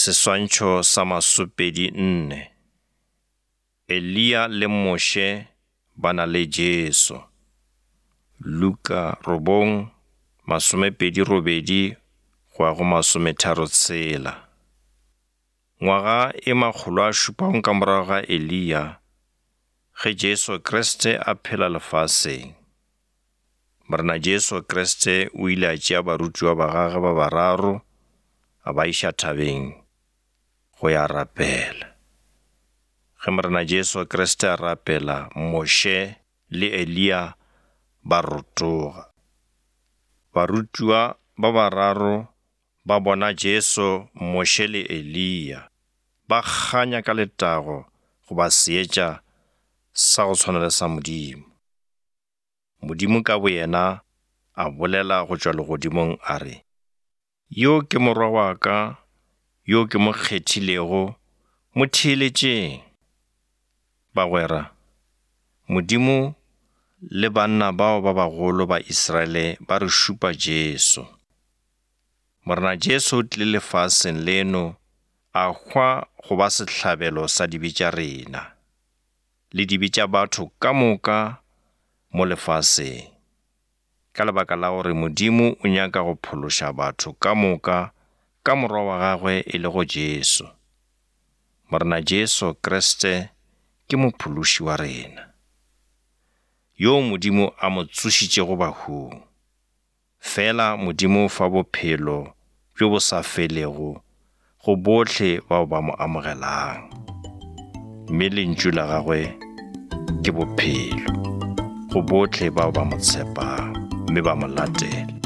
Seswantšho sa masopedi nne. Eliya le Moshe ba na le Jesu. Luka robong, 28 go ya go 36. Ngwaga e makgolo a šupago ka morago ga Eliya, ge Jesu Kriste a phela lefaseng. Morena Jesu Kriste o ile a tšea barutiwa ba gagwe ba bararo a ba iša thabeng go ya rapela. Ge Morena Jesu Kriste a rapela, Moshe le Eliya ba rotoga. Barutiwa ba bararo ba bona Jesu, Moshe le Eliya ba kganya ka letago goba seetša sa go tshwana le sa Modimo. Modimo ka boyena a bolela go tšwa legodimong a re, Yo ke Morwa wa ka yo ke mo kgethilego, mo theeletšeng. Bagwera, Modimo le banna bao ba bagolo ba Israele ba re šupa Jesu. Morena Jesu o tlile lefaseng leno a hwa go ba sehlabelo sa dibe tša rena. Le dibe tša batho ka moka mo lefaseng. Ka lebaka la gore Modimo o nyaka go phološa batho ka moka ka Morwa wa gagwe e lego Jesu. Morena Jesu Kriste ke Mophološi wa rena, yoo Modimo a mo tsošitšego bahung. Fela Modimo o fa bophelo bjo bo sa felego go bohle bao ba mo amogelang. Mme lentšu la gagwe ke bophelo go bohle bao ba mo tshepang mme ba mo latela.